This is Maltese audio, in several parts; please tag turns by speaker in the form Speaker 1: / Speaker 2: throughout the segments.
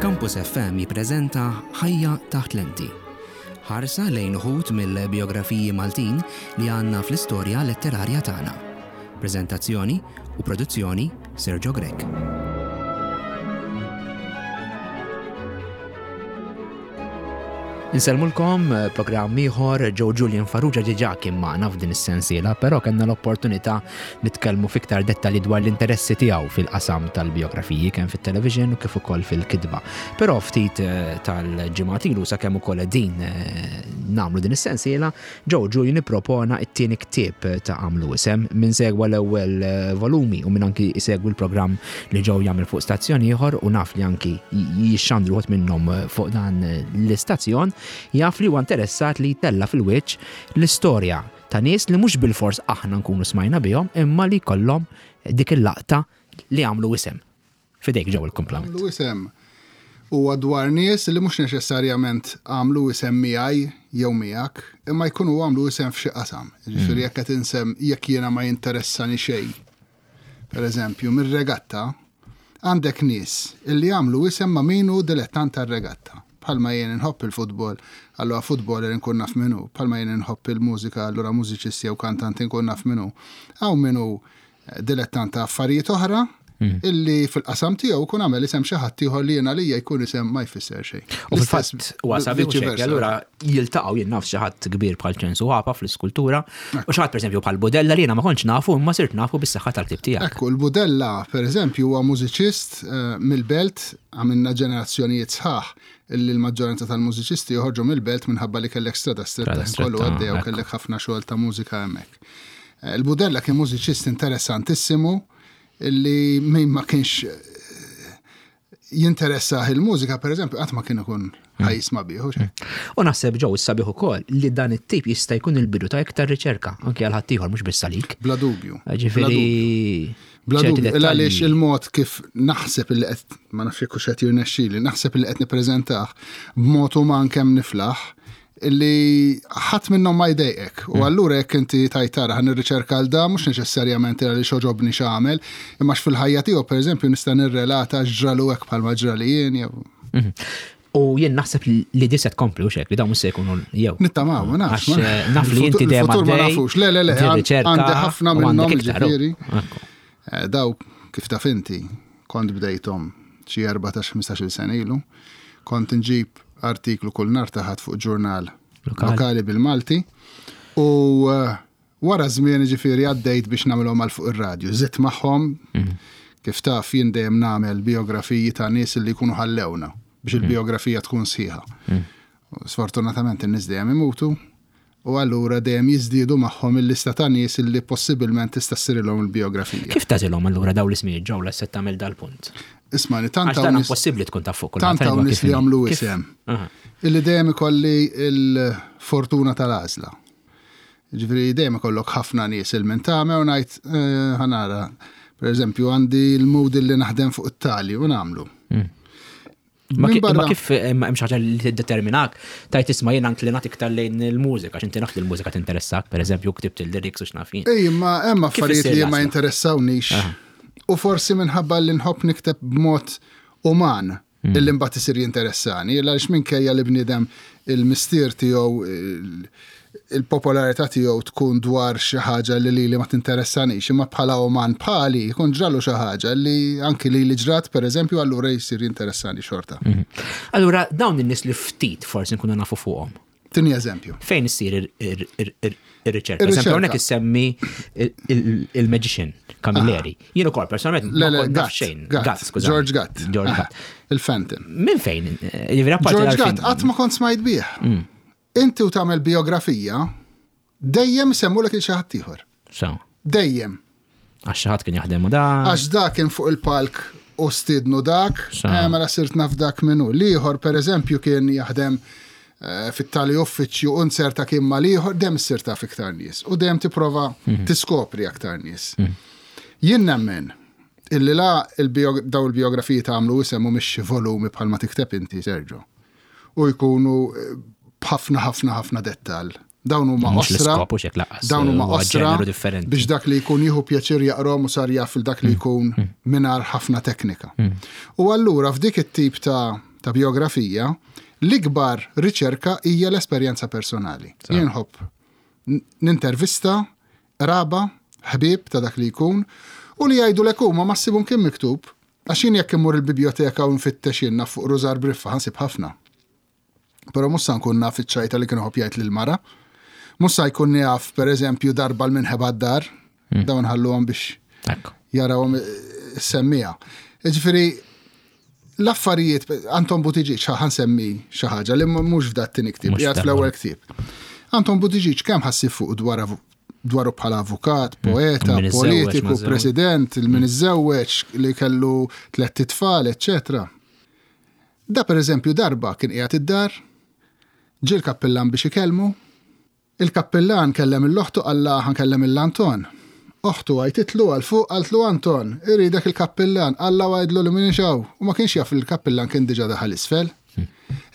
Speaker 1: Campus FM jippreżenta Ħajja taħt lenti. Ħarsa lejn uħud mill-bijografiji Maltin li għandna fl-istorja letterarja tagħna. Preżentazzjoni u produzzjoni Sergio Grech. Insellmulkom eh, programm ieħor Joe Julian Farrugia diġà kien magħna f'din is-sensiela, però kellna l-opportunità nitkellmu fiktar dettalji dwar l-interessi tiegħu fil-qasam tal-biografiji kemm fit-television u kif ukoll fil-kitba. Però ftit eh, tal-ġimgħat ilu sakemm ukoll din eh, nagħmlu din is-sensiela, Joe Julian ippropona t-tieni ktieb ta' Għamlu Isem. Min segwa l-ewwel volumi u min anki jsegwi l-programm li Joe jagħmel fuq stazzjon ieħor u naf li anki jixxandru wħud minnhom fuq dan l-istazzjon, jaf li huwa interessat li jtella' fil-wiċċ l-istorja ta' nies li mhux bilfors aħna nkunu smajna bihom imma li jkollhom dik il-laqta li għamlu isem. F'idejk ġew il-kumplament.
Speaker 2: Għamlu isem huwa dwar nies li mhux neċessarjament għamlu isem miegħi jew miegħek, imma jkunu għamlu isem f'xi qasam. Jiġifieri hmm. jekk qed insem jekk jiena ma jinteressani xejn. Per eżempju, mir-regatta għandek nies illi għamlu isem ma' min hu dilettant tar-regatta. Bħalma jien inħobb il-futbol, allura futboler inkun naf min hu. Bħalma jien inħobb il-mużika, allura mużiċisti jew kantanti nkun naf min hu. Hawn min hu dilettant ta' affarijiet oħra hmm. illi fil-qasam tiegħu kun għamel isem xi ħadd ieħor li jiena lija jkun isem ma jfisser xejn.
Speaker 1: U fil-fatt huwa sabiħ allura jiltaqgħu jien naf xi ħadd kbir bħal ċensu ħapa fl-iskultura u xi ħadd pereżempju bħal Budella li jiena ma kontx nafu imma sirt nafu bis-saħħa tal-ktieb tiegħek.
Speaker 2: Ekku, l-Budella pereżempju huwa mużiċist eh, mill-belt għamilna ġenerazzjonijiet sħaħ illi l-maġġoranza tal-mużiċisti joħorġu mill-belt minħabba li kellek strada stretta kollu għaddej u kellek ħafna xogħol ta' mużika hemmhekk. Eh, Il-Budella kien mużiċist interessantissimu illi min ma kienx eh, jinteressah il-mużika, per eżempju, qatt ma kien ikun hmm. ħajisma bih. Hmm.
Speaker 1: U naħseb ġew sabiħ ukoll li dan it-tip jista' jkun il-bidu ta' iktar riċerka, anke għal ħaddieħor mhux biss għalik.
Speaker 2: Bla dubju.
Speaker 1: Ġifieri.
Speaker 2: Bla dubju, għaliex il-mod kif naħseb li qed ma nafx jekk qed jirnexxili, naħseb li qed nippreżentah b'mod uman kemm niflaħ, li ħadd minnhom ma jdejqek. U mm. allura jekk inti tajt tara ħan nirriċerka għal da mhux neċessarjament għaliex oġobni x'għamel, imma fil-ħajja tiegħu pereżempju nista' nirrelata x'ġralu hekk bħalma ġrali jien jew.
Speaker 1: Mhm. U jien naħseb li di se tkompli u xek, li dawn mhux se jkunu jew.
Speaker 2: Nittamaw, ma nafx.
Speaker 1: Eh, naf li inti dejjem
Speaker 2: ma nafux. Le, le, le, għandi ħafna minnhom ġifieri. Eh, daw kif taf inti, kont bdejthom xi 14-15 sena ilu, kont nġib artiklu kull nhar ta' Ħadd fuq ġurnal lokali bil-Malti u eh, wara żmien ġifieri għaddejt biex nagħmilhom għal fuq ir-radju. Żidt magħhom mhm. kif taf jien dejjem nagħmel biografiji ta' nies li jkunu ħallewna biex mhm. il-biografija tkun sħiħa. Mhm. Sfortunatament in-nies dejjem imutu, U allura dejjem jiżdiedu magħhom il-lista ta' nies illi possibilment tista' ssirilhom il-bijografija.
Speaker 1: Kif tagħżilhom allura dawn l-ismijiet ġew la se tagħmel dal-punt?
Speaker 2: Ismagħni, tant
Speaker 1: Għax dan impossibbli tkun taf fuq
Speaker 2: kulħadd. Tant hawn nies li jagħmlu isem. Illi dejjem ikolli l-fortuna tal-għażla. Ġifieri dejjem ikollok ħafna nies il min tagħmel u ngħid eh, ħanara. Per eżempju, għandi l-mood li naħdem fuq it-tali u nagħmlu.
Speaker 1: Mm. Ma kif eh, hemm xi ħaġa li tiddeterminak, tajt isma' jiena inklinat iktar lejn il-mużika, għax inti naf li l-mużika tinteressak, pereżempju ktibt il-lyrics u x'naf jien.
Speaker 2: Ej, ma hemm affarijiet li ma jinteressawniex. U forsi minħabba li nħobb nikteb b'mod uman mm. illi mbagħad isir jinteressani, għaliex minkejja li bniedem il-mistier tiegħu il-popolarità tiegħu tkun dwar xi ħaġa li lili ma tinteressanix, imma bħala uman bħali jkun ġralu xi ħaġa li anki lili ġrat pereżempju allura jsir jinteressani xorta.
Speaker 1: Mhm. Allura dawn in-nies li ftit forsi nkunu nafu fuqhom.
Speaker 2: Tini eżempju.
Speaker 1: Fejn issir ir-riċerka? Eżempju, hawnhekk issemmi il-magician Camilleri. Ah. Jien ukoll personalment
Speaker 2: ma kont naf xejn. Gatt, skuża. George Gatt.
Speaker 1: George Gatt.
Speaker 2: Il-Phantom.
Speaker 1: Minn fejn?
Speaker 2: George Gatt qatt ma kont smajt bih. Mm. Inti u tagħmel bijografija, dejjem isemmulek il xi ħadd ieħor.
Speaker 1: So.
Speaker 2: Dejjem.
Speaker 1: Għax xi ħadd kien jaħdem u dak.
Speaker 2: Għax dak kien fuq il-palk u stidnu dak, eh, mela sirt naf dak minnu. L-ieħor pereżempju kien jaħdem eh, fit-tali uffiċċju u nserta kien mal-ieħor, dejjem issir taf iktar nies u dejjem tipprova mhm. tiskopri aktar nies. Mhm. Jien nemmen illi la daw il-biografiji tagħmlu isem u mhix volumi bħalma tikteb inti, Sergio. u jkunu eh, b'ħafna ħafna ħafna dettal. Dawn huma
Speaker 1: osra.
Speaker 2: Dawn huma osra biex dak li jkun jieħu pjaċir jaqrom u sar jaf dak li mm. jkun mm. mingħajr ħafna teknika. Mm. U allura f'dik it-tip ta' ta' biografija, l-ikbar riċerka hija l-esperjenza personali. Jien nħobb nintervista qraba, ħbieb ta' dak li jkun, u li jgħidulek huma ma ssibhom kien miktub, għax jien jekk immur il-bibjoteka u nfittex jien naf fuq Rużar Briffa ħa nsib ħafna. Però mhux sa nkun naf iċ-ċajta li kien iħobb jgħid lill-mara. Mhux sa jkun jaf pereżempju darba l minħeba d-dar, hmm. dawn ħalluhom biex jarawhom eh, semmija. Ġifieri l-affarijiet, Anton Buttigieg, ħa nsemmi xi ħaġa li mhux f'dat tieni ktieb, qiegħed fl-ewwel ktieb. Anton Buttigieg kemm ħassib fuq dwar dwaru bħala avukat, hmm. poeta, politiku, president, il-min hmm. iżżewweġ li kellu tlett itfal, eċċetera. Da pereżempju darba kien qiegħed id-dar, ġie l-kappillan biex ikellmu, Il-kappillan kellem 'il oħtu qallha ħa nkellem 'il Anton. Oħtu għajtitlu għal fuq qaltlu Anton, iridek il-kappillan, qallha u għidlu li m'iniex hawn u ma kienx jaf li l-kappillan kien diġà daħal isfel.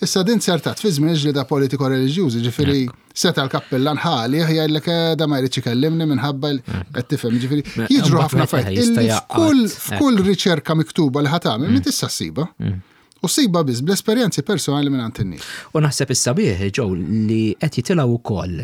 Speaker 2: Issa din zertat fi żmien il-ġlieda politiko-reliġjużi, ġifieri seta' l-kappillan ħa għalih jgħidlek eh, da ma jridx ikellimni minħabba qed tifhem, ġifieri jiġru ħafna affarijiet illi f'kull f'kull riċerka miktuba li ħa tagħmel mm. tista' ssibha. Mm. U ssibha biss bl-esperjenzi personali minn għand in-nies.
Speaker 1: U naħseb is-sabiħ, Joe, li qed jitilgħu wkoll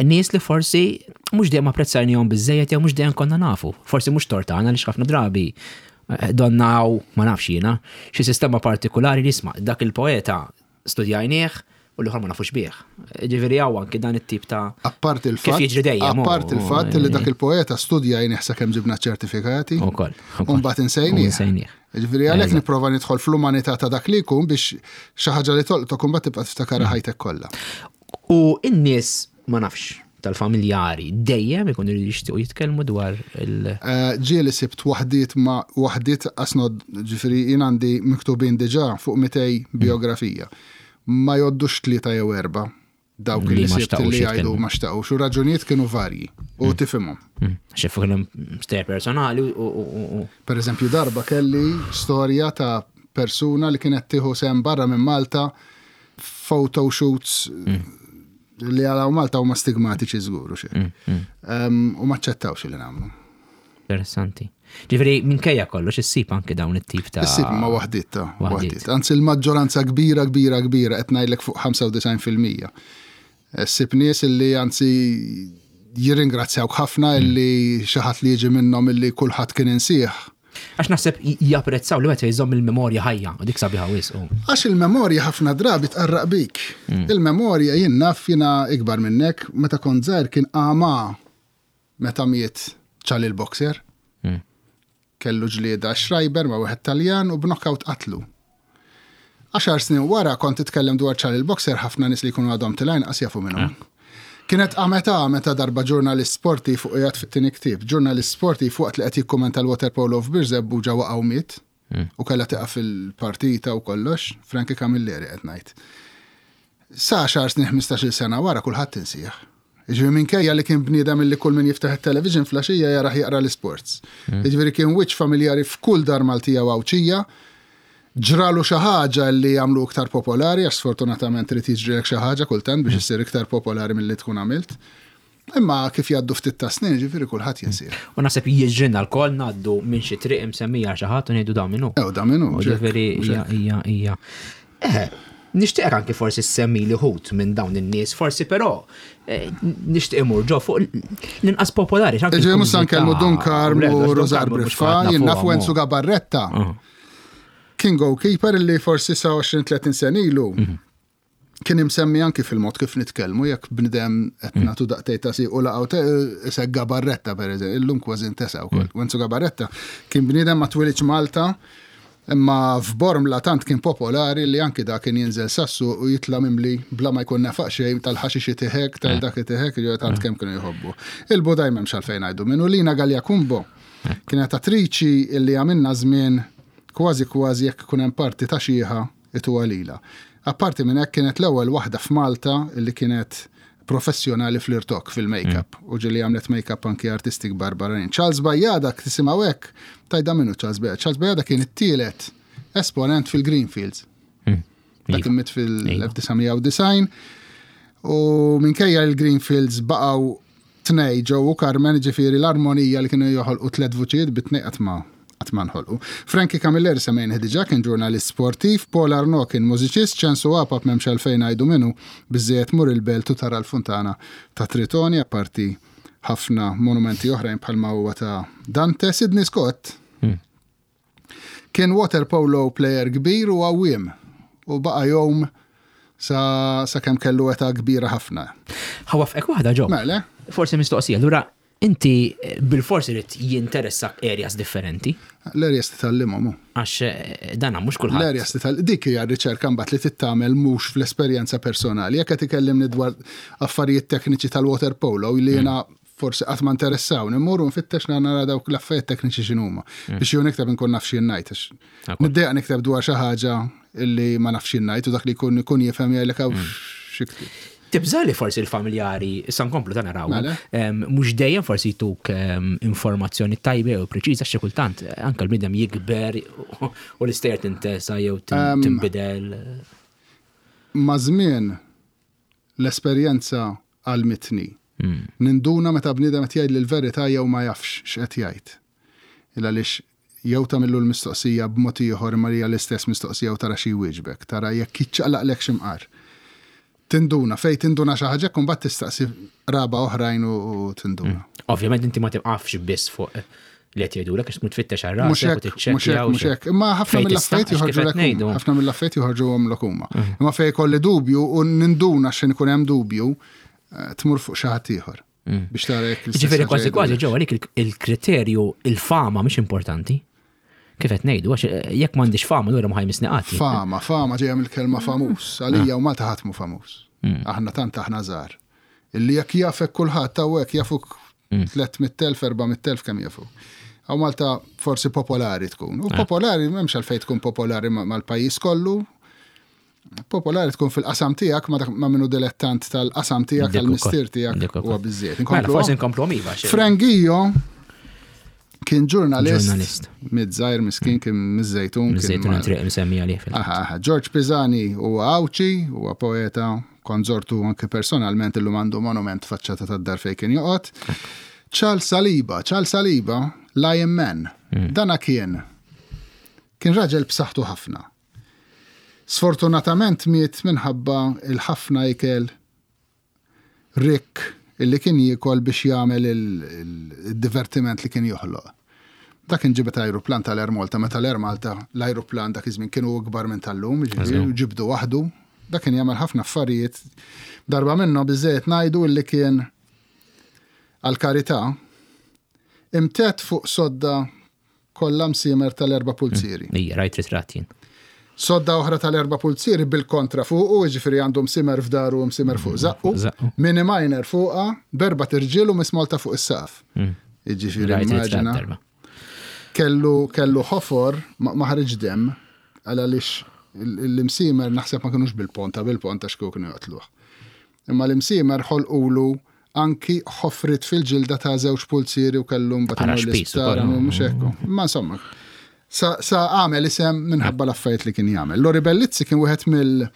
Speaker 1: nies li forsi mhux dejjem apprezzajnihom biżejjed jew mhux dejjem konna nafu. Forsi mhux tortana li ħafna drabi eh, donnaw, ma nafx jiena, xi sistema partikolari li jisma' dak il-poeta studjajnieh u l-ieħor ma nafux bih. Ġifieri hawn anki dan it-tip ta'
Speaker 2: Apparti il-fatt.
Speaker 1: Kif jiġri dejjem.
Speaker 2: Apparti il-fatt li dak il-poeta studjajnieh sakemm ġibna ċertifikati.
Speaker 1: Ukoll.
Speaker 2: U mbagħad insejnieh.
Speaker 1: Insejnieh.
Speaker 2: Ġifieri għalhekk nipprova nidħol fl-umanità ta' dak li jkun biex xi ħaġa li tolqtok imbagħad tibqa' tiftakarha mm. ħajtek kollha.
Speaker 1: U n-nies ma nafx tal-familjari dejjem ikunu jixtiequ jitkellmu dwar il-
Speaker 2: eh, Ġieli sibt waħdiet ma waħdiet asnod ġifieri jien għandi miktubin diġà fuq 200 mm. biografija. Ma joddux tlieta jew erba' dawk li sibt li jgħidu ma xtaqux u raġunijiet kienu varji u mm. tifhimhom.
Speaker 1: Mm. Xi fuq storja personali u.
Speaker 2: Per eżempju darba kelli storja ta' persuna li kienet tieħu sem barra minn Malta photo shoots mm. li għalaw Malta huma stigmatiċi żgur u xejn. U ma ċċettawx li nagħmlu.
Speaker 1: Interessanti. Ġifieri minkejja kollox issib anke dawn it-tip ta'
Speaker 2: Issib ma waħdiet ta' waħdiet. Anzi l-maġġoranza kbira kbira kbira qed ngħidlek fuq 95%. Ssib nies illi anzi jirringrazzjawk ħafna mm. illi xi ħadd li jiġi minnhom illi kulħadd kien insih.
Speaker 1: Għax naħseb japprezzaw li meta jżomm il-memorja ħajja, u dik sabiħa wisq.
Speaker 2: Għax il-memorja ħafna drabi tqarraq bik. Mm. Il-memorja jien naf jiena ikbar minnek, meta kont żgħir kien għama Meta miet Charlie l-boxer, kellu ġlieda Schreiber ma' wieħed Taljan u b'knockout qatlu. Għaxar snin wara kont titkellem dwar Charlie l-boxer ħafna nies li jkunu għadhom tilgħin qas jafu min hu. Kienet qamet a meta darba ġurnalist sportiv u qiegħed fit-tieni ktieb, ġurnalist sportiv waqt li qed jikkumenta l-waterpolo f'Birżebbuġa waqa' u miet u kellha tieqaf il-partita u kollox, Frankie Camilleri qed ngħid. Sa għaxar snin 15-il sena wara kulħadd insih. Jiġifieri minkejja li kien bniedem illi kull min jiftaħ it-television flaxija jarah jaqra l-isports. Mm. Jiġifieri kien wiċċ familjari f'kull dar Maltija u Għawdxija. Ġralu xi ħaġa li għamlu iktar popolari għax sfortunatament trid jiġrilek xi ħaġa kultant biex mm. issir iktar popolari milli tkun għamilt. Imma kif jgħaddu ftit ta' snin, ġifieri kulħadd jinsir.
Speaker 1: U naħseb jiġrilna lkoll ngħaddu minn xi triq imsemmija xi ħadd u ngħidu da minnu.
Speaker 2: Ew da minnu.
Speaker 1: Ġifieri hija hija hija. Eh, nixtieq anki forsi semmi li ħut minn dawn in-nies, forsi però eh, nixtieq imur ġo fuq l-inqas popolari.
Speaker 2: Ġej mhux nkellmu Dun Karmu Rosar Briffa, jien naf Wenzu Gabarretta. Kien goalkeeper li forsi sa 20-30 sen ilu. Mhm. Kien imsemmi anki fil-mod kif nitkellmu, jekk bnidem qed mm. nagħtu daqtej ta' u laqgħu isek Gabarretta pereżempju, illum kważi ntesa wkoll. Mm. Wenzu Gabarretta kien bniedem ma twilidx Malta, Imma f'Bormla tant kien popolari li anki dak kien jinżel sassu u jitla' mimli bla ma jkun nefaq xejn tal-ħaxix itihek, tal-dak itihek, jiġifieri tant kemm kienu jħobbu. Il-Budaj m'hemmx għalfejn ngħidu minnu. Lina Galea Cumbo kienet attriċi li għamilna żmien kważi kważi jekk ikun hemm parti ta' xiħa ituha lilha. Apparti minn hekk kienet l-ewwel waħda f'Malta li kienet professjonali fl-irtokk, fil-make-up, u ġieli għamlet make-up anki artisti kbar barranin. Charles Bajada, tisimgħu hekk, tajda minnu Charles Bajada. Charles Bajada kien it-tielet esponent fil-Greenfields. Hmm. Dak kien miet fil-1990 u minkejja il-Greenfields baqgħu tnej Joe u Carmen, ġifieri l-armonija li kienu joħolqu tliet vuċijiet bit-tnej qatt ma Qatt ma nħolqu. Frankie Camilleri semmejnih diġà kien ġurnalist sportiv, Paul Arnaud kien mużiċist, Ċensu Apap m'hemmx għalfejn ngħidu min hu, biżżejjed tmur il-Belt u tara l-funtana ta' Tritoni apparti ħafna monumenti oħrajn bħalma huwa ta' Dante. Sidney Scott kien waterpolo player kbir u għawwiem u baqa' jgħum sa sakemm kellu età kbira ħafna.
Speaker 1: Ħa waffqek waħda Joe.
Speaker 2: Mela.
Speaker 1: Forsi mistoqsija, allura Inti bilfors irid jinteressak areas differenti.
Speaker 2: L-areas titgħallimhom hu.
Speaker 1: Għax eh, dan mhux kulħadd.
Speaker 2: L-areas titgħallim dik hija r-riċerka mbagħad li titgħamel mhux fl-esperjenza personali. Jekk qed ikellimni dwar affarijiet tekniċi tal-water polo li jiena mm. forsi qatt ma interessawni, mmur u nfittex nara dawk l-affarijiet tekniċi x'inhuma. Mm. Biex jew nikteb inkun naf x'jien ngħid. Niddejjaq nikteb dwar xi ħaġa illi ma nafx x'jien ngħid u dak li jkun ikun jifhem jgħidlek hawn mm. xi
Speaker 1: Tibża' li forsi l-familjari, issa nkomplu ta' naraw, mela. mhux dejjem forsi jtuk informazzjoni tajba jew preċiża xi kultant anke l-bniedem jikber u l-istejjer tintesa jew tinbidel.
Speaker 2: Ma' żmien l-esperjenza għallmitni. Hmm. Ninduna meta bniedem qed jgħidli l-verità jew ma jafx x'qed jgħid. Il għaliex jew tagħmillu l-mistoqsija b'mod ieħor imma li hija l-istess mistoqsija u tara xi jwieġbek, tara jekk jiċċaqlaqlekx imqar. Tinduna, fejn tinduna xi ħaġa hekk u mbagħad tistaqsi qraba oħrajn u tinduna.
Speaker 1: Mm. Ovvjament inti ma tibqafx biss fuq li qed jgħidulek għax tmur tfittex għal rasek u
Speaker 2: tiċċekkja. Mhux hekk, mhux hekk. Imma ħafna mill-affarijiet joħorġu ħafna mill-affarijiet joħorġuhom huma. Mm. Imma fejn ikolli dubju u ninduna x'in ikun hemm dubju, eh, tmur fuq xi ħadd ieħor. Mm. Biex tara jekk
Speaker 1: Ġifieri kważi kważi ġewwa għalik il-kriterju il-fama mhix importanti. Kif qed ngħidu, għax eh, jekk m'għandix fama lura ma ħajmisni qatt.
Speaker 2: Fama, fama ġejja mill-kelma famuż. Għalija u Malta ħadd mhu famuż. Mm. Aħna tant aħna żgħar. Illi jekk jafek kulħadd hawnhekk jafuk 300,000, mm. 400,000 kemm jafuk. Għaw Malta forsi popolari tkun. U eh. popolari m'hemmx għalfejn tkun popolari mal-pajjiż kollu, Popolari tkun fil-qasam tiegħek ma' minnu dilettant tal-qasam tiegħek tal-mistier tiegħek huwa biżżejjed.
Speaker 1: Mela, forsi nkomplu iva.
Speaker 2: Frangio kien ġurnalist. Ġurnalist. Mid-żgħir miskin kien miż-Żejtun.
Speaker 1: Miż-Żejtun triq msemmi għalih fil
Speaker 2: Aha, George Pisani huwa Għawdxi, huwa poeta, konżortu anke personalment illum għandu monument faċċata tad-dar fejn kien joqgħod. Charles Saliba, Charles Saliba, Lion Man. Hmm. Dana kien kien raġel b'saħħtu ħafna. Sfortunatament miet minħabba l-ħafna ikel rikk illi kien jiekol biex jagħmel il-divertiment li kien joħloq. Dak kien ġibed ajruplan tal-Air Malta meta l-Air Malta l-ajruplan dak iż-żmien kienu ikbar minn tal-lum, jiġifieri ġibdu waħdu. Dak kien jagħmel ħafna affarijiet. Darba minnhom biżżejjed ngħidu illi kien għall-karità imtedd fuq sodda Kollha msiemer tal-erba' pulzieri.
Speaker 1: Ija, rajt ritratt jien.
Speaker 2: Sodda oħra tal-erba' pulzieri bil-kontra fuqu, jiġifieri għandu msiemer f'daru u msiemer fuq żaqqu. Mini minor fuqha, b'erbat irġiel u Miss Malta fuq is-saqaf. Mm. Jiġifieri immaġina. Kellu kellu ħofor ma ħariġ demm għal għaliex l-imsiemer naħseb ma kinux bil-ponta bil-ponta x'kieku kienu joqtluh. Imma l-imsiemer ħolqulu anki ħofriet fil-ġilda ta' żewġ pulzieri u kellu mbagħad imur l-isptar, mhux hekk. Ma insomma, sa, sa għamel isem minħabba l-affarijiet li kien jagħmel. Lori Bellizzi kien wieħed mill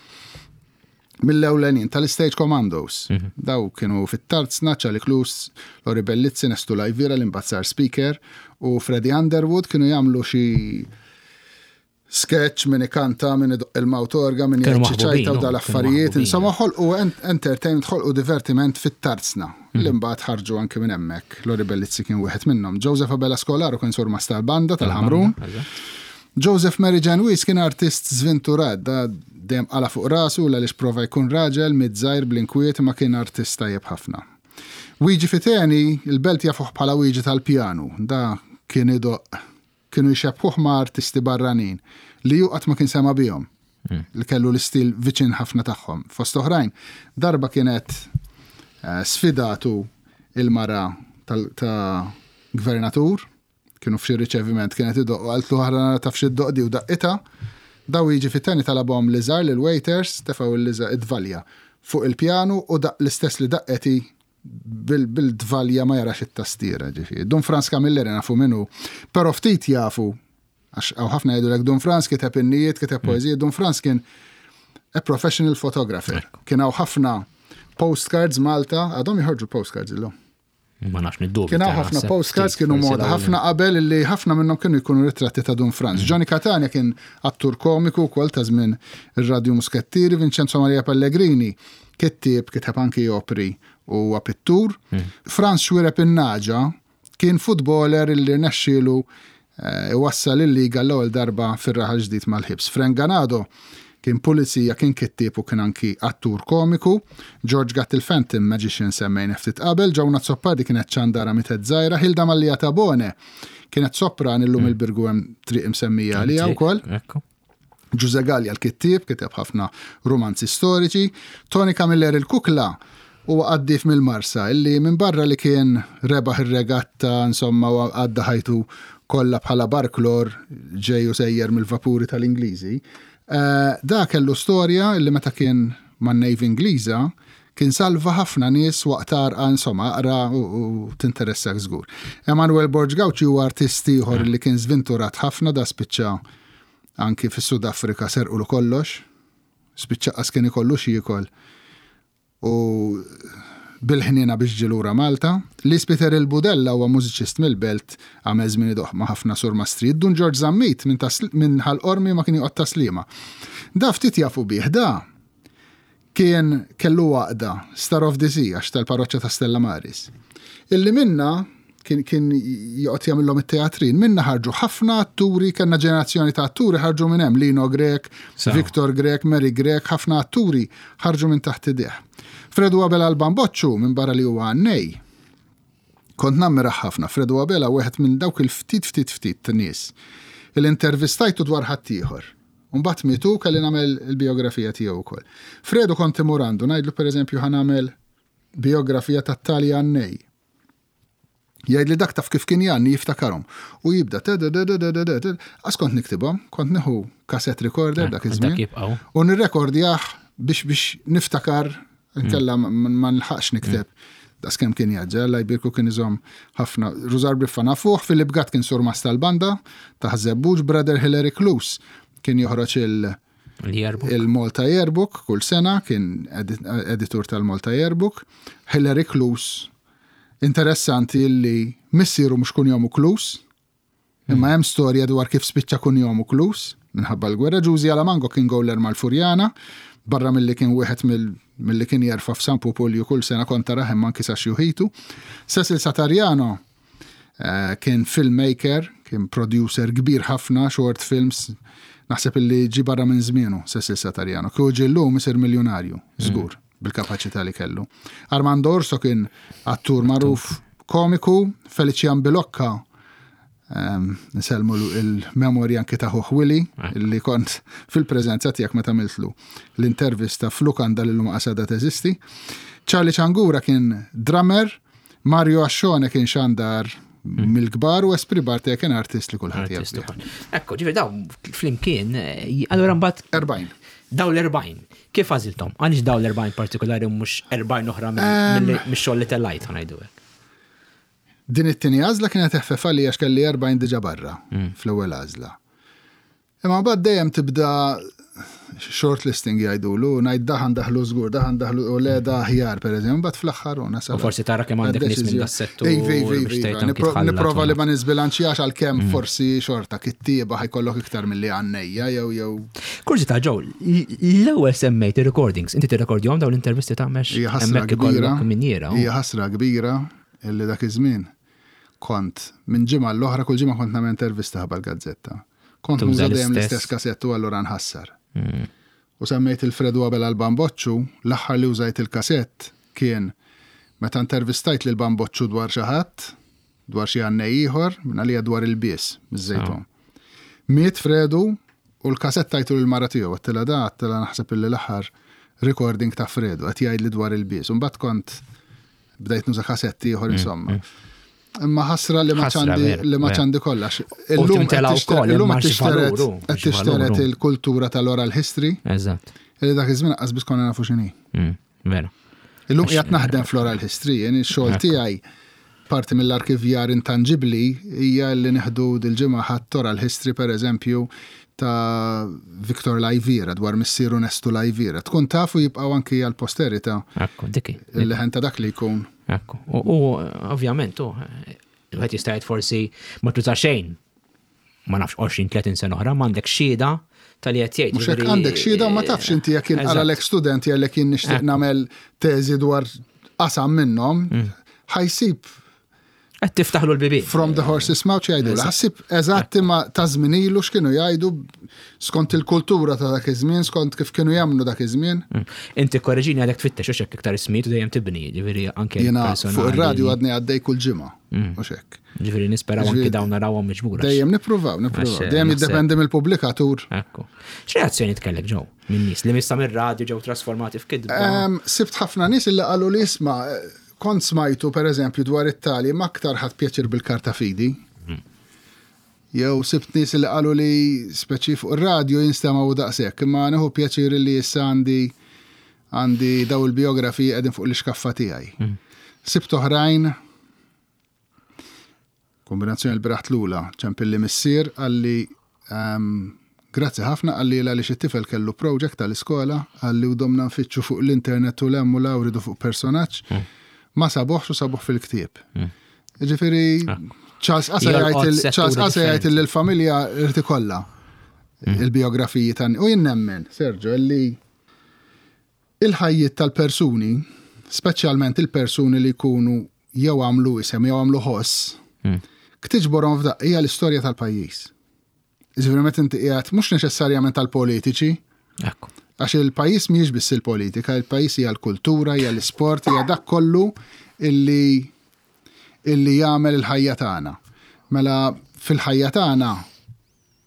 Speaker 2: mill-ewlenin tal-Stage Commandos. Mhm. Daw kienu fit-tarzna, Charlie Klus, Lori Bellizzi, Nestu Lajvira, l-imbagħad sar speaker, u Freddie Underwood kienu jagħmlu xi sketch, min ikanta, min idoqq il-mawtorga, min jgħid xi ċajta u dal-affarijiet. Insomma, ħolqu entertainment, ħolqu divertiment fit-tarzna mm. li mbagħad ħarġu anki minn hemmhekk. Lori Bellizzi kien wieħed minnhom. Joseph Abela Skolaro kien surmast tal-banda tal-Ħamrun. Joseph Mary Ġanwis kien artist żvinturat, da dejjem qala fuq rasu għaliex prova jkun raġel miż-żgħir bl-inkwiet ma kien artist tajjeb ħafna. Wiġi Fiteni, il-belt jafuh bħala Wiġi tal-pjanu, da kien idoqq Kienu jxebbħuh ma' artisti barranin li hu qatt ma kien sema' bihom, li kellu l-istil viċin ħafna tagħhom. Fost oħrajn, darba kienet sfidatu il-mara ta' gvernatur, kienu f'xi riċeviment, kienet idoqq u qaltlu aħra nara taf xi ddoqq di u daqqitha. Daw jiġi fit-teni talabhom liżar lill-waiters, tefgħu l-liżar id-dvalja fuq il-pjanu u daqq l-istess li daqqet hi bil-dvalja ma jarax it-tastiera, ġifieri. Dun Frans Camilleri nafu min hu, però ftit jafu, għax hawn ħafna jgħidulek Dun Frans kiteb innijiet, kiteb mm. poeżiji, Dun Frans kien a professional photographer. Kien hawn ħafna postcards Malta, għadhom joħorġu postcards illum.
Speaker 1: Ma nafx niddubi.
Speaker 2: Kien hawn ħafna postcards kienu moda ħafna qabel li ħafna minnhom kienu jkunu ritratti ta' Dun Franz. Johnny Catania kien attur komiku wkoll ta' żmien ir-Radju Muskettieri, Vincenzo Maria Pellegrini kittieb, kiteb anki opri u huwa pittur. Franz Xuereb in-Naġa kien futboler illi rnexxielu iwassal il-liga l-ewwel darba fir-Raħal Ġdid mal-Ħibs. Frank Ganado kien pulizija, kien kittieb u kien anki attur komiku. George Gatt il-Phantom Magician semmejnieh ftit qabel. Joan Azzopardi kienet ċandara mietet żgħira. Hilda Mallia Tabone kienet sopran illum il-Birgu hemm triq imsemmija għaliha wkoll. Ġuże Gallia l-kittieb, kiteb ħafna rumanzi storiċi. Tony Camilleri l-Kukla huwa qaddif mill-Marsa illi minbarra li kien rebaħ ir-regatta insomma u għadda ħajtu kollha bħala barklor ġej u sejjer mill-vapuri tal-Ingliżi, eh, da kellu storja illi meta kien man-Navy Ingliża kien salva ħafna nies waqt għarqa insomma aqra u tinteressak żgur. Emanuel Borg Gauci huwa artist ieħor li kien żvinturat ħafna da spiċċa Anki fis-Sud Afrika serqulu kollox, spiċċa qas kien ikollu x'jiekol u bil-ħniena biex ġie lura Malta. Lis Peter il-Budella huwa mużiċist mill-Belt, għamel żmien idoqq ma' ħafna surmastrijiet. Dun Ġorġ Zammit minn minn Ħal Qormi ma kien joqgħod Tas-Sliema. Da ftit jafu bih, da kien kellu għaqda, Star of the Sea, għax tal-parroċċa ta' Stella Maris, illi minnha kien kien joqgħod jagħmilhom it-teatrin, minnha ħarġu ħafna atturi, kellna ġenerazzjoni ta' atturi ħarġu minn hemm, Lino Grech, Victor Grech, Mary Grech, ħafna atturi ħarġu minn taħt idejh. Fredu Abela l-Bamboċċu, minn barra li huwa għannej, kont nammirah ħafna. Fredu Abela wieħed minn dawk il-ftit ftit ftit nies il intervistajtu dwar ħaddieħor. U mbagħad miet hu kelli nagħmel il-bijografija tiegħu wkoll. Fredu kont imur għandu ngħidlu pereżempju ħa nagħmel bijografija tat-tali għannej. Jgħidli dak taf kif kien jgħanni jiftakarhom. U jibda Għas kont niktibhom, kont nieħu cassette recorder dak iż-żmien. U nirrekordjah biex biex niftakar Nkella ma nilħaqx nikteb. Daqs kemm kien jaġġel, Alla jbierku kien iżomm ħafna. Rużar Briffa nafuh, Philip Gatt kien surmast tal-banda ta' Ħaż-Żebbuġ, Brother Hilary Cluse kien joħroġ il- il-Malta Yearbook kull sena, kien editur tal-Malta Yearbook. Hilary Cluse, interessanti li missieru mhux kunjomu Cluse, Imma hemm storja dwar kif spiċċa kunjomu Klus, minħabba l-gwerra. Ġużi Alamango kien gowler mal-Furjana, barra milli kien wieħed milli kien jerfa' f'San Pupulju kull sena kont tarah hemm anki sa xjuħitu. Cecil Satariano eh, kien filmmaker, kien producer kbir ħafna, short films, naħseb illi ġi barra minn żmienu Cecil Satariano. Kieku ġie llum isir miljonarju, żgur, bil-kapaċità li kellu. Armando Orso kien attur magħruf Komiku, Felician Bilocca, nselmu il-memorja anki ta' ħuħ Willy, eh. li kont fil-preżenza tiegħek meta għamiltlu l-intervista f'lukanda li l-lum qasada teżisti. Charlie Ċangura kien drummer, Mario Ascione kien xandar hmm. mill-kbar u Esprit Bartea kien artist li kulħadd jaf.
Speaker 1: Ekku, ġifieri daw flimkien, eh, allura mbagħad
Speaker 2: 40.
Speaker 1: Daw l-40. Kif għażilthom? Għaliex dawn l-40 partikolari u mhux 40 oħra mix-xogħol li tellajt ħa ngħidu hekk?
Speaker 2: Din it-tieni għażla kienet eħfef għalija għax kelli 40 diġà barra mm. fl-ewwel għażla. Imma mbagħad dejjem tibda shortlisting jgħidulu, ngħid daħan daħlu żgur, daħan daħlu u le da aħjar pereżempju, mbagħad fl-aħħar u
Speaker 1: nasal. U forsi tara kemm għandek nies minn das-settur.
Speaker 2: Nipprova li ma niżbilanċjax għalkemm mm. forsi xorta kittieba ħajkollok iktar milli għannejja jew jew
Speaker 1: Kurżità Joe, l-ewwel semmejt ir-recordings, inti tirrekordjahom dawn l-intervisti ta' mex?
Speaker 2: Hija ħasra kbira. Hija ħasra kbira illi dak iż-żmien kont minn ġimgħa l-oħra kull ġimgħa kont nagħmel intervista ħabba l-gazzetta. Kont nuża dejjem l-istess kasett u allura nħassar. Mm. U semmejt il-Fredu Abela l-Bamboċċu, l-aħħar li użajt il-kasett kien meta intervistajt lil Bamboċċu dwar xi ħadd, dwar xi għannej ieħor, minn għalija dwar il-bies, miż-Żejtun. Miet Fredu u l-kasett tajtu lill-mara tiegħu, għedtilha da, għedtilha naħseb illi l-aħħar recording ta' Fredu, qed jgħidli dwar il-bies. U mbagħad kont bdejt nuża kasett ieħor mm, insomma. Mm. Imma ħasra li ma ċandi li ma ċandi kollax.
Speaker 1: Illum
Speaker 2: qed tixteret il-kultura tal-oral history.
Speaker 1: Eżatt.
Speaker 2: Li dak iż-żmien qas biss konna nafu x'inhi.
Speaker 1: Mm. Vera.
Speaker 2: Illum qiegħed naħdem fl-oral history, jien ix-xogħol tiegħi parti mill-arkivjar intanġibbli hija li nieħdu dil-ġimgħa ħadd oral history pereżempju ta' Victor Lajvira dwar missieru Nestu Lajvira. Tkun tafu jibqgħu anki għall-posterità.
Speaker 1: Ekku, diki.
Speaker 2: Il-leħen ta' dak li jkun.
Speaker 1: Ekku. U ovvjament, u wieħed jista' jgħid forsi ma tuża xejn ma nafx 20-30 sena oħra, m'għandek xhieda tal-li qed jgħid.
Speaker 2: Mhux hekk għandek xhieda ma tafx inti jekk inqara lek student jgħidlek jien nixtieq nagħmel teżi dwar qasam minnhom, mm. ħajsib
Speaker 1: Qed tiftaħlu l-bibien.
Speaker 2: From the horse's mouth jgħidu. Ħassib eżatt imma ta' żmien ilu x'kienu jgħidu skont il-kultura ta' dak iż-żmien, skont kif kienu jagħmlu dak iż-żmien.
Speaker 1: Mm. Inti korreġini għadek tfittex u xekk iktar ismijiet u dejjem tibni, ġifieri anke
Speaker 2: Jiena fuq ir-radju għadni għaddej kull ġimgħa, mm. mhux hekk.
Speaker 1: Ġifieri nisperaw anke dawn narawhom miġbura.
Speaker 2: Dejjem nippruvaw, nippruvaw. Dejjem jiddependi mill-pubblikatur.
Speaker 1: Ekku. X'reazzjoni tkellek ġew minn nies li missa mir-radju ġew trasformati f'kidba?
Speaker 2: Sibt ħafna nies illi qalu li isma' Kont smajtu, per eżempju, dwar it-tali, imma aktar ħadt pjaċir bil-karta fidi. Jew sibt nies li qalu li speċi fuq ir-radju jinstemgħu daqshekk, imma nieħu pjaċir li issa għandi għandi daw il-bijografiji qegħdin fuq l-ixkaffa tiegħi. Sibt oħrajn Kombinazzjoni l-bieraħ tlula, ċempilli missier qalli grazzi ħafna qalli għaliex it-tifel kellu project tal-iskola qalli u domna nfittxu fuq l-internet u l-hemm u l ridu fuq personaġġ hmm. ma sabuħx u sabuħ fil-ktieb. Hmm. Ġifieri ah. Charles Qasa jgħid li l-familja rrid ikollha hmm. il-biografiji tan u jien nemmen, Sergio, li Il-ħajjiet tal-persuni, speċjalment il-persuni li jkunu jew għamlu isem jew għamlu ħoss, ktiġborhom f'daqqa hija l-istorja tal-pajjiż. Jiġifieri meta inti qiegħed mhux neċessarjament tal-politiċi. Għax il-pajjiż mhijiex biss il-politika, il-pajjiż hija l-kultura, hija l-isport, hija dak kollu illi illi jagħmel il-ħajja tagħna. Mela fil-ħajja tagħna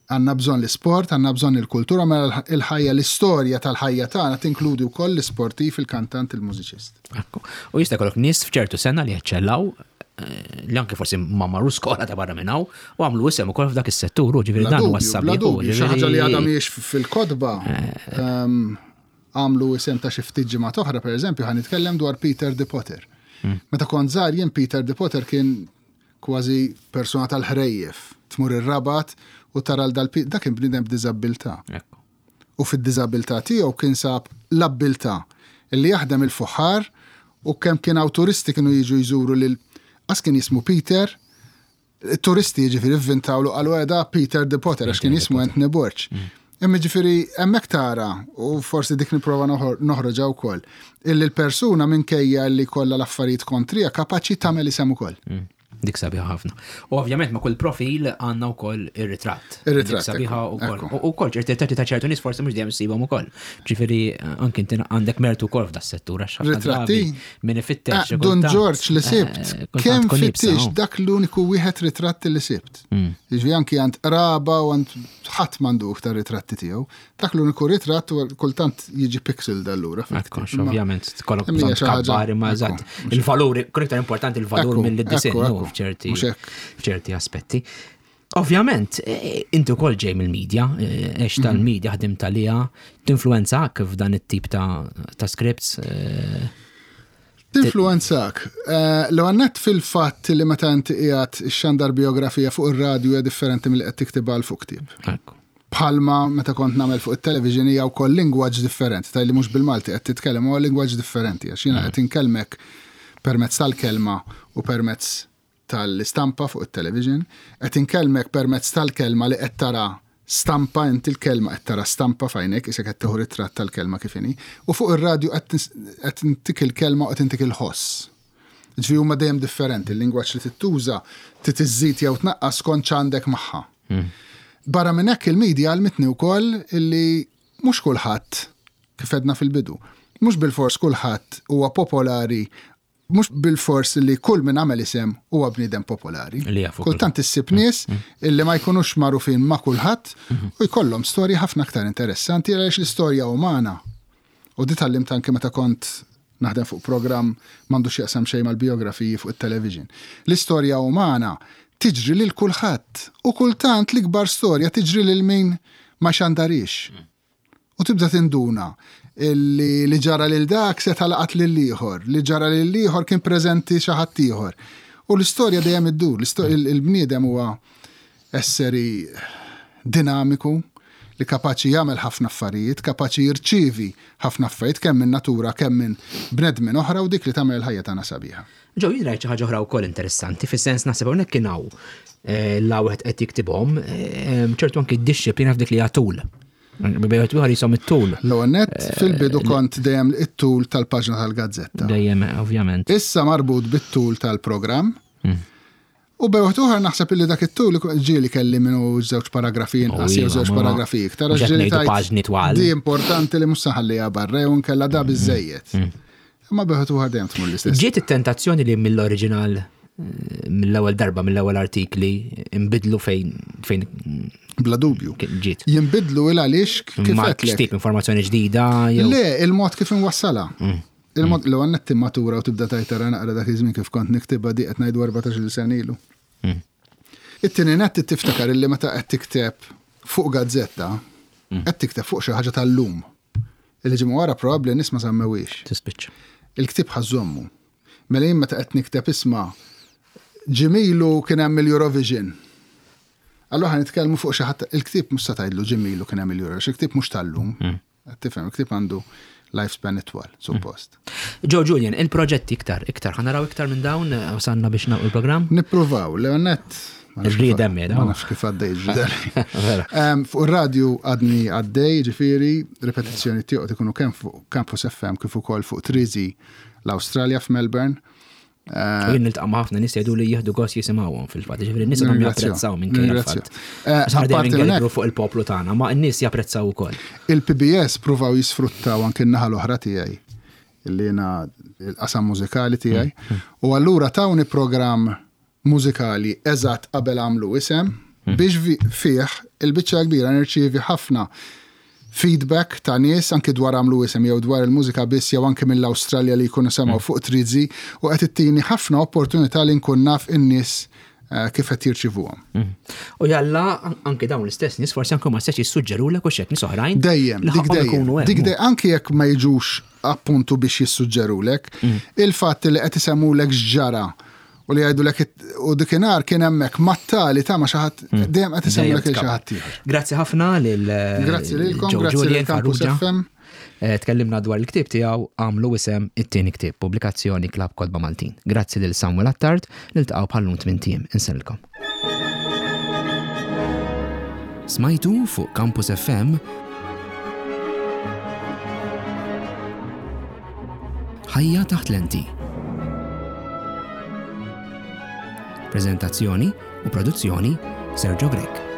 Speaker 2: Għandna bżonn l-isport, għandna bżonn il-kultura, mela l-ħajja, l-istorja tal-ħajja tagħna tinkludi wkoll l-isportiv, il-kantant, il-mużiċist.
Speaker 1: Ekku. U jista' jkollok nies f'ċertu sena li jeċċellaw eh, li anke forsi ma marru skola ta' barra minn hawn u għamlu isem ukoll f'dak is-settur, u ġifieri dan huwa
Speaker 2: s-sabiħ. Xi ħaġa li għadha mhijiex fil-kotba eh. ehm, għamlu isem ta' xi ftit ġimgħat oħra, pereżempju, ħa nitkellem dwar Peter the Potter. Hmm. Meta kont żgħar jien Peter the Potter kien kważi persuna tal-ħrejjef, tmur ir-Rabat u tara 'l dal dak kien bniedem b'diżabbiltà. U fid-diżabbiltà tiegħu kien sab l-abbiltà li jaħdem il-fuħħar u kemm kien hawn turisti kienu jiġu jżuru lil qas kien jismu Peter, it-turisti jiġifieri vvintawlu qalu eh da Peter the Potter għax kien jismu Anthony Borg. Imma ġifieri hemmhekk tara, u forsi dik nipprova noħroġha wkoll, illi l-persuna minkejja li jkollha l-affarijiet kontriha kapaċi tagħmel isem ukoll. Mm.
Speaker 1: Dik sabiħa ħafna. U ovvjament ma' kull profil għandna wkoll ir-ritratt.
Speaker 2: Ir-ritratt.
Speaker 1: Sabiħa wkoll. U wkoll ċerti ritratti ta' ċertu nies forsi mhux dejjem issibhom ukoll. Ġifieri anke inti għandek mertu wkoll f'da settur għax
Speaker 2: ħafna drabi
Speaker 1: min ifittex.
Speaker 2: Ah, Don George li sibt, eh, kemm fittix oh. dak l-uniku wieħed ritratt li sibt. Mm. Jiġifieri anki għand qraba u għand ħadd m'għandu iktar ritratti tiegħu. Dak l-uniku ritratt u kultant jiġi pixel allura.
Speaker 1: Ekku, ovvjament tkollok bżonn tkabbar imma eżatt. Il-valur, kun iktar importanti il-valur mill-disinn f'ċerti f'ċerti aspetti. Ovvjament, e, e, inti wkoll ġej mill-medja, e, għex mhm. tal-medja ħdim talija, tinfluwenzak f'dan it-tip ta' scripts.
Speaker 2: Tinfluwenzak. L-ewwel nett fil-fatt li meta inti qiegħed ixxandar bijografija fuq ir-radju hija differenti milli qed tiktibha għal fuq ktieb. Bħalma meta kont nagħmel fuq it-television hija wkoll lingwaġġ differenti, tgħidli mhux bil-Malti qed titkellem, huwa lingwaġġ differenti għax jiena qed inkellmek permezz tal-kelma u permezz tal-istampa fuq it-television, qed inkellmek permezz tal-kelma li qed tara stampa, inti l-kelma qed tara stampa f'għajnejk, isek qed tieħu ritratt tal-kelma kif inhi, u fuq ir-radju qed intik il-kelma u qed intik il-ħoss. Ġifieri huma dejjem differenti, il-lingwaġġ li tittuża trid iżżid jew tnaqqas skont x'għandek magħha. Hmm. Barra minn hekk il-media għallmitni wkoll illi mhux kulħadd kif għedna fil-bidu, mhux bilfors kulħadd huwa popolari mhux bilfors li kull min għamel isem huwa bniedem popolari. Kultant issib mm. nies mm. illi ma jkunux magħrufin ma' kulħadd mm-hmm. u jkollhom storji ħafna aktar interessanti għaliex l-istorja umana. U di tgħallimt anke meta kont naħdem fuq programm m'għandu x'jaqsam xejn mal-bijografiji fuq it-television. L-istorja umana tiġri lil kulħadd u kultant l-ikbar storja tiġri lil min ma xandarix. Mm. U tibda tinduna li li ġara lil dak seta' laqat lil ieħor, li ġara lil ieħor kien preżenti xi ħadd ieħor. U l-istorja dejjem iddur, il-bniedem huwa esseri dinamiku. li kapaċi jagħmel ħafna affarijiet, kapaċi jirċievi ħafna affarijiet kemm minn natura kemm minn bnedmin oħra u dik li tagħmel il-ħajja tagħna sabiħa.
Speaker 1: Ġew jien rajt xi ħaġa oħra wkoll interessanti, fis-sens naħseb hawnhekk kien hawn eh, la wieħed qed jiktibhom, eh, ċertu anki d-dixxiplina f'dik li tul. Bejgħet wieħed jisom it-tul.
Speaker 2: L-ewwel nett eh, fil-bidu kont dejjem it-tul tal-paġna tal-gazzetta.
Speaker 1: Dejjem, ovvjament.
Speaker 2: Issa marbut bit-tul tal-programm. U bejn waħda oħra naħseb illi dak it-tul ġieli kelli minnu żewġ paragrafi inqas jew żewġ paragrafi iktar.
Speaker 1: Mhux qed ngħidu paġni twal.
Speaker 2: Di importanti li mhux se nħalliha barra jew inkella da biżejjed. Imma bejn waħda oħra dejjem tmur l-istess.
Speaker 1: Ġiet it-tentazzjoni li mill-oriġinal eh, mill-ewwel darba mill-ewwel artikli imbidlu fejn fejn
Speaker 2: Bla dubju.
Speaker 1: Ġiet.
Speaker 2: Jinbidlu il għaliex kif
Speaker 1: qed. Tip informazzjoni ġdida
Speaker 2: jew. Le, il-mod kif inwassalha. Il-mod li għannet timmatura u tibda tajt tara naqra dak iż-żmien kif kont niktibha di qed ngħidu 14-il sena ilu. Hmm. It-tieni nett tiftakar illi meta qed tikteb fuq gazzetta, hmm. qed tikteb fuq xi ħaġa tal-lum. Illi ġimgħa wara probabbli nies ma semmewhiex.
Speaker 1: Tispiċċa.
Speaker 2: Il-ktieb ħażommu. Mela jien meta qed nikteb isma' ġimilu kien hemm il-Eurovision. Allura ħa nitkellmu fuq xi ħadd il-ktieb mhux se tgħidlu ġimilu kien hemm il-Eurovision, il-ktieb mhux tal-lum. Hmm. Tifhem, il-ktieb għandu lifespan itwal, suppost.
Speaker 1: Joe Julian, il-proġetti iktar, iktar, ħanaraw iktar minn dawn, eh, wasanna biex nagħlqu il-programm?
Speaker 2: Nippruvaw, Leonet.
Speaker 1: Rriedem
Speaker 2: jeda. Ma nafx kif għaddej ġderi. Fuq ir-radju għadni għaddej, ġifieri, ripetizzjoni tiegħu ikunu kemm fuq Campus FM kif ukoll fuq Trizi l-Awstralja f'Melbourne.
Speaker 1: Eh, u jien niltaqa' ma' ħafna nies jgħidu li jieħdu gost jisimgħuhom fil-fatt, ġifieri n-nies għandhom japprezzaw minn kejja l-fatt. Eh, apparti minn fuq il-poplu tagħna, ma n-nies japprezzaw ukoll.
Speaker 2: Il-PBS pruvaw jisfruttaw anke n-naħa l-oħra tiegħi li jiena l-qasam mużikali tiegħi. Mm, mm. U allura tawni programm mużikali eżatt qabel għamlu isem mm. biex fih il-biċċa kbira nirċievi ħafna feedback ta' nies anki dwar għamlu isem jew dwar il-mużika biss jew anki mill-Awstralja li jkunu semgħu mm. fuq Trizi u qed ittini ħafna opportunità li nkun naf in-nies eh, kif qed jirċivuhom.
Speaker 1: Mm. U jalla anki dawn l-istess nies forsi anke ma stess jissuġġerulek u xek nies oħrajn.
Speaker 2: Dejjem, dik dejjem. Dik dejjem anki jekk ma jiġux appuntu biex jissuġġerulek, mm. il-fatt li qed isemmulek x'ġara U li jgħidulek u dikinhar kien hemmhekk mat-tali ta' ma xi ħadd hmm. dejjem qed isemmulek il xi ħadd ieħor.
Speaker 1: Grazzi ħafna lil
Speaker 2: eh, Grazzi lilkom, grazzi lil Campus FM.
Speaker 1: Eh, tkellimna dwar il-ktieb tiegħu għamlu isem it-tieni ktieb, pubblikazzjoni Klab Kotba Maltin. Grazzi lil Samuel Attard, niltaqgħu bħallum tmien tiem. Insellilkom. Smajtu fuq Campus FM Ħajja taħt lenti. Preżentazzjoni u produzzjoni Sergio Grech.